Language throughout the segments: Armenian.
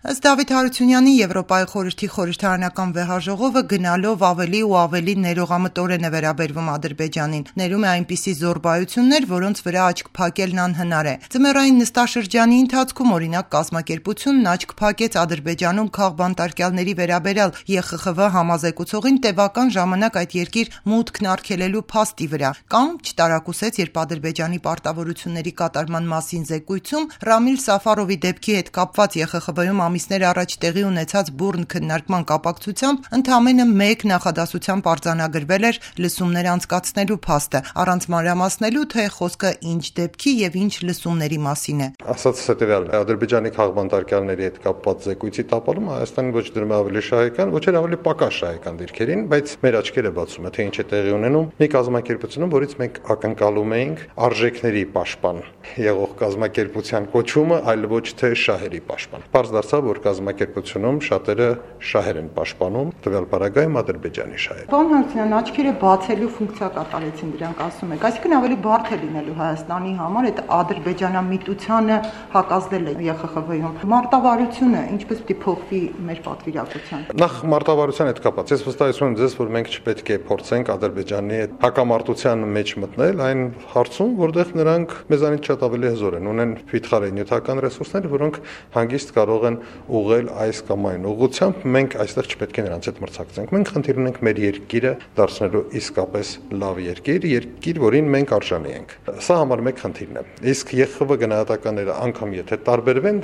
Ըստ Դավիթ Հարությունյանի, Եվրոպայի խորհրդի խորհրդարանական վեհաժողովը գնալով ավելի ու ավելի ներողամտորեն է վերաբերվում Ադրբեջանին, ներում է այնպիսի զոռբայություններ, որոնց վրա աչք փակելն անհնար է։ Ձմեռային նստաշրջանի ընթացքում, օրինակ, կազմակերպությունն աչք փակեց Ադրբեջանում քաղբանտարկյալների վերաբերյալ ԵԽԽՎ համազեկուցողին տևական ժամանակ այդ երկիր մուտքն արգելելու փաստի վրա, կամ չտարակուսեց, երբ Ադրբեջանի պարտավորությունների կատարման մասին զեկույցում Ռամիլ Սաֆարովի դեպքի հետ կապված ԵԽԽՎ-ում ամիսներ առաջ տեղի ունեցած բուռն քննարկման կապակցությամբ ընդամենը մեկ նախադասությամբ արձանագրվել էր լսումներ անցկացնելու փաստը, առանց մանրամասնելու, թե խոսքը ինչ դեպքի եւ ինչ լսումների մասին է։ Ասած հետեւյալն է, Ադրբեջանի քաղբանտարկյալների հետ կապված զեկույցի տապալումը Հայաստանի ոչ դրում ավելի շահեկան, ոչ էլ ավելի պակաս շահեկան դիրքերին, բայց մեր աչքերը բացում է, թե ինչ է տեղի ունենում մի կազմակերպությունում, որից մենք ակնկալում էինք արժեքների պաշտպան եղող կազմակերպության կոչումը, այլ ոչ թե շահերի պաշտպան։ Պարզ դարձավ, որ կազմակերպությունում շատերը շահեր են պաշտպանում, տվյալ պարագայում Ադրբեջանի շահերը։ Պարոն Հարությունյան, աչքերը բացելու ֆունկցիա կատարեցին դրանք, ասում եք, այսինքն ավելի բարդ է լինելու Հայաստանի համար այդ ադրբեջանամիտությանը հակազդել է ԵԽԽՎ-ում։ Մարտավարությունը ինչպես պիտի փոխվի մեր պատվիրակության։ Նախ մարտավարության հետ կապված, ես վստահեցնում եմ ձեզ, որ մենք չպետք է փորձենք Ադրբեջանի հետ հակամարտության մեջ մտնել այն հարցում, որտեղ նրանք մեզանից շատ ավելի հզոր են, ունեն վիթխարի նյութական ռեսուրսներ, որոնք հանգիստ կարող են ուղղել այս կամ այն ուղղությամբ, մենք այստեղ չպետք է նրանց հետ մրցակցենք։ Մենք խնդիր ունենք մեր երկիրը դարձնելու իսկապես լավ երկիր, որին մենք արժանի ենք։ Սա համար մեկ խնդիրն է։ Իսկ ԵԽԽՎ գնահատականները անգամ եթե տարբերվեն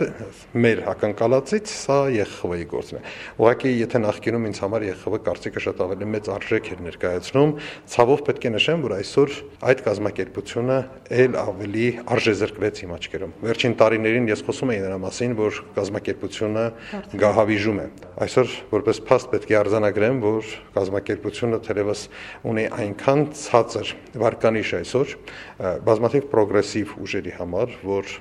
մեր ակնկալածից, սա ԵԽԽՎ-ի գործն է։ Ուղղակի եթե նախկինում ինձ համար ԵԽԽՎ կարծիքը շատ ավելի մեծ արժեք էր ներկայացնում, ցավով պետք է նշեմ, որ այսօր այդ կազմակերպությունը ել ավելի արժեզրկվեց իմ աչքերում։ Վերջին տարիներին ես խոսում եի նրա մասին, որ կազմակերպությունը գահավիժում է։ Այսօր որպես փաստ պետք է արձանագրեմ, որ կազմակերպությունը թերևս ունի այնքան ցածր վարկանիշ այսօր բազմաթիվ պրոգրեսիվ ուժերի համար, որ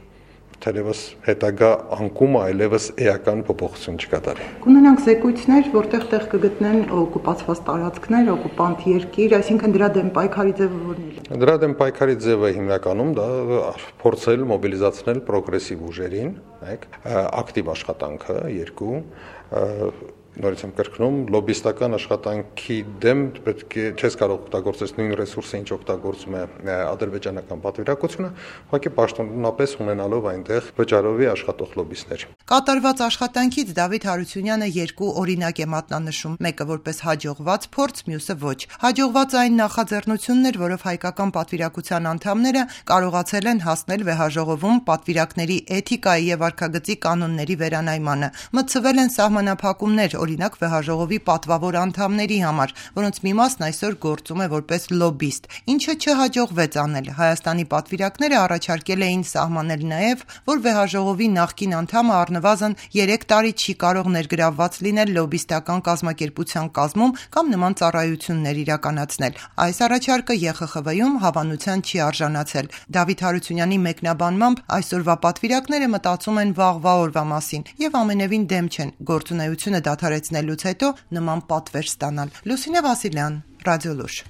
թերևս հետագա անկումը այլևս էական փոփոխություն չկատարի։ Կունենանք զեկույցներ, որտեղ տեղ կգտնեն օկուպացված տարածքներ, օկուպանտ երկիր, այսինքն դրա դեմ պայքարի ձևը որն է։ Դրա դեմ պայքարի ձևը հիմնականում դա փորձել մոբիլիզացնել պրոգրեսիվ ուժերին, ակտիվ աշխատանքը, երկու, նորից եմ կրկնում, լոբիստական աշխատանքի դեմ պետք է չես կարող օգտագործել նույն ռեսուրսը, ինչ օգտագործում է ադրբեջանական պատվիրակությունը, ուղղակի պաշտոնապես ունենալով այնտեղ վճարովի աշխատող լոբիստներ։ Կատարված աշխատանքից Դավիթ Հարությունյանը երկու օրինակ է մատնանշում, մեկը որպես հաջողված փորձ, մյուսը ոչ։ Հաջողված այն նախաձեռնությունն էր, որով հայկական պատվիրակության անդամները կարողացել են հասնել վեհաժողովում պատվիրակների էթիկայի եւ վարքագծի կանոնների վերանայմանը, մտցվել են սահմանափակումներ, օրինակ վեհաժողովի պատվավոր անդամների համար, որոնց մի մասն այսօր գործում է որպես լոբիստ, ինչը չհաջողվեց անել։ Հայաստանի պատվիրակները առաջարկել էին սահմանել նաև, որ վեհաժողովի նախկին անդամը առնվազն 3 տարի չի կարող ներգրավված լինել լոբիստական կազմակերպության կազմում կամ նման ծառայություններ իրականացնել։ Այս առաջարկը ԵԽԽՎ-ում հավանության չի արժանացել։ Դավիթ Հարությունյանի մեկնաբանմամբ այսօրվա պատվիրակները մտածում են վաղվա օրվա մասին եւ ամենևին դեմ չեն գործունեությունը դադարեցնելուց հետո նման պատվեր ստանալ։ Լուսինե Վասիլյան, Ռադիոլուր։